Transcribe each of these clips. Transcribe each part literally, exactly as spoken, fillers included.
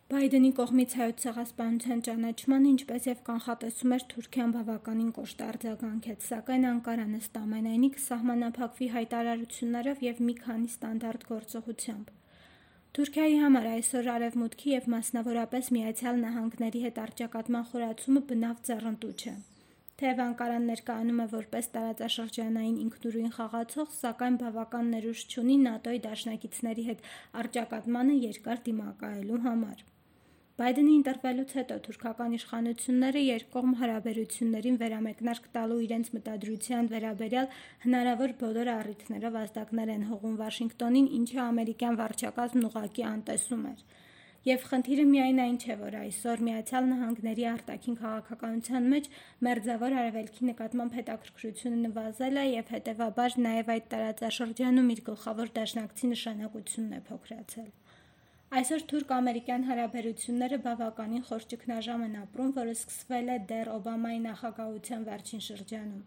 Բայդենի կողմից հայոց ցեղասպանության ճանաչմանը, ինչպես և կանխատեսում էր Թուրքիան, բավականին կոշտ արձագանքեց, սակայն Անկարան ըստ ամենայնի կսահմանափակվի հայտարարություններով և մի քանի ստանդարտ գործողությամբ։ Թուրքիայի համար այսօր Արևմուտքի և մասնավորապես Միացյալ Նահանգների հետ առճակատման խորացումը բնավ ձեռնտու չէ։ Թեև Անկարան ներկայանում է որպես տարածաշրջանային ինքնուրույն խաղացող, սակայն բավական ներուժ չունի ՆԱՏՕ-ի դաշնակիցների հետ առճակատմանը երկար դիմակայելու համար։ Բայդենի ընտրվելուց հետո թուրքական իշխանությունները երկկողմ հարաբերություններին վերամեկնարկ տալու իրենց մտադրության վերաբերյալ հնարավոր բոլոր առիթներով ազդակներ են հողում Վաշինգտոնին, ինչը ամերիկյան վարչակազմն ուղղակի անտեսում էր։ Եվ խնդիրը միայն այն չէ, որ այսօր Միացյալ Նահանգների արտաքին քաղաքականության մեջ Մերձավոր Արևելքի նկատմամբ հետաքրքրությունը նվազել է և հետևաբար նաև այդ տարածաշրջանում իր գլխավոր դաշնակցի նշանակությունն է փոքրացել։ Այսօր թուրք-ամերիկյան հարաբերությունները բավականին խոր ճգնաժամ են ապրում, որը սկսվել է դեռ Օբամայի նախագահության վերջին շրջանում։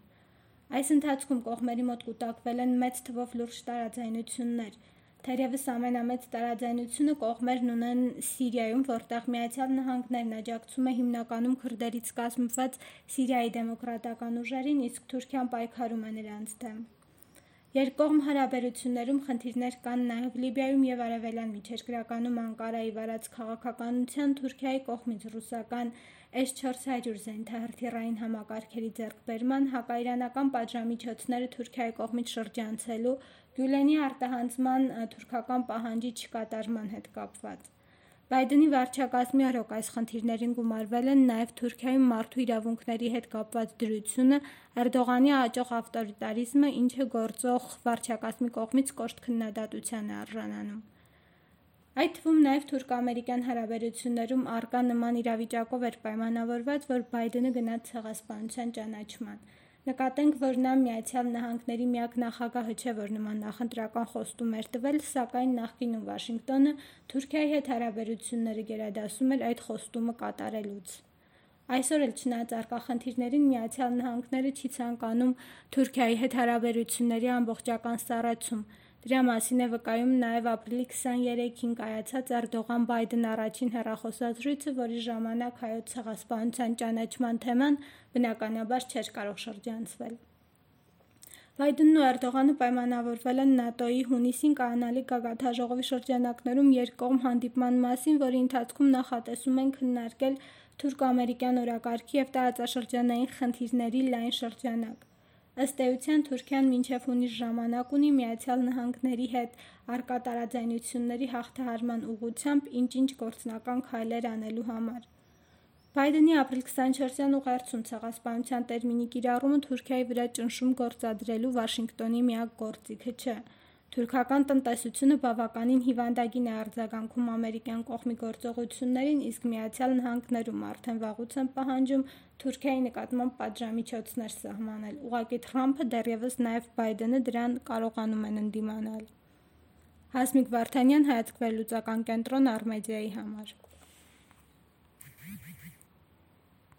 Այս ընթացքում կողմերի մոտ կուտակվել են մեծ թվով լուրջ տարաձայնություններ։ Թերևս ամենամեծ տարաձայնությունը կողմերն ունեն Սիրիայում, որտեղ Միացյալ Նահանգներն աջակցում է հիմնականում քրդերից կազմված Սիրիայի դեմոկրատական ուժերին, իսկ Թուրքիան պայքարում է նրանց դեմ։ Երկկողմ հարաբերություններում խնդիրներ կան նաև Լիբիայում և Արևելյան միջերկրականում Անկարայի վարած քաղաքականության, Թուրքիայի կողմից ռուսական էս չորս հարյուր զենիթահրթիռային համակարգերի ձեռքբերման, հակաիրանական պատժամիջոցները Թուրքիայի կողմից շրջանցելու, Գյուլենի արտահանձնման թուրքական պահանջի չկատարման հետ կապված։ Բայդենի վարչակազմի օրոք այս խնդիրներին գումարվել են նաև Թուրքիայում մարդու իրավունքների հետ կապված դրությունը, Էրդողանի աճող ավտորիտարիզմը, ինչը գործող վարչակազմի կողմից կոշտ քննադատության է արժանանում։ Այդ թվում նաև թուրք-ամերիկյան հարաբերություններում առկա նման իրավիճակով էր պայմանավորված, որ Բայդենը գնաց ցեղասպանության ճանաչման։ Նկատենք, որ նա Միացյալ Նահանգների միակ նախագահը չէ, որ նման նախընտրական խոստում էր տվել, սակայն նախկինում Վաշինգտոնը Թուրքիայի հետ հարաբերությունները գերադասում էր այդ խոստումը կատարելուց։ Այսօր էլ չնայած առկա խնդիրներին Միացյալ Նահանգները չի ցանկանում Թուրքիայի հետ հարաբերությունների ամբողջական սառեցում։ Դրա մասին է վկայում նաև ապրիլի քսաներեքին կայացած Էրդողան-Բայդեն առաջին հեռախոսազրույցը, որի ժամանակ հայոց ցեղասպանության ճանաչման թեման բնականաբար չէր կարող շրջանցվել։ Բայդենն ու Էրդողանը պայմանավորվել են ՆԱՏՕ-ի հունիսին կայանալիք գագաթնաժողովի շրջանակներում երկկողմ հանդիպման մասին, որի ընթացքում նախատեսում են քննարկել թուրք-ամերիկյան օրակարգի և տարածաշրջանային խնդիրների լայն շրջանակ։ Ըստ էության Թուրքիան մինչև հունիս ժամանակ ունի Միացյալ Նահանգների հետ առկա տարաձայնությունների հաղթահարման ուղղությամբ ինչ-ինչ գործնական քայլեր անելու համար։ Բայդենի ապրիլի քսանչորսյան ուղերձում ցեղասպանության տերմինի կիրառումը Թուրքիայի վրա ճնշում գործադրելու Վաշինգտոնի միակ գործիքը չէ։ Թուրքական տնտեսությունը բավականին հիվանդագին է արձագանքում ամերիկյան կողմի գործողություններին, իսկ Միացյալ Նահանգներում արդեն վաղուց են պահանջում Թուրքիայի նկատմամբ պատժամիջոցներ սահմանել։ Ուղղակի Թրամփը, դեռևս նաև Բայդենը դրան կարողանում են ընդդիմանալ։ Հասմիկ Վարդանյան, Հայացք վերլուծական կենտրոն, Արմեդիայի համար։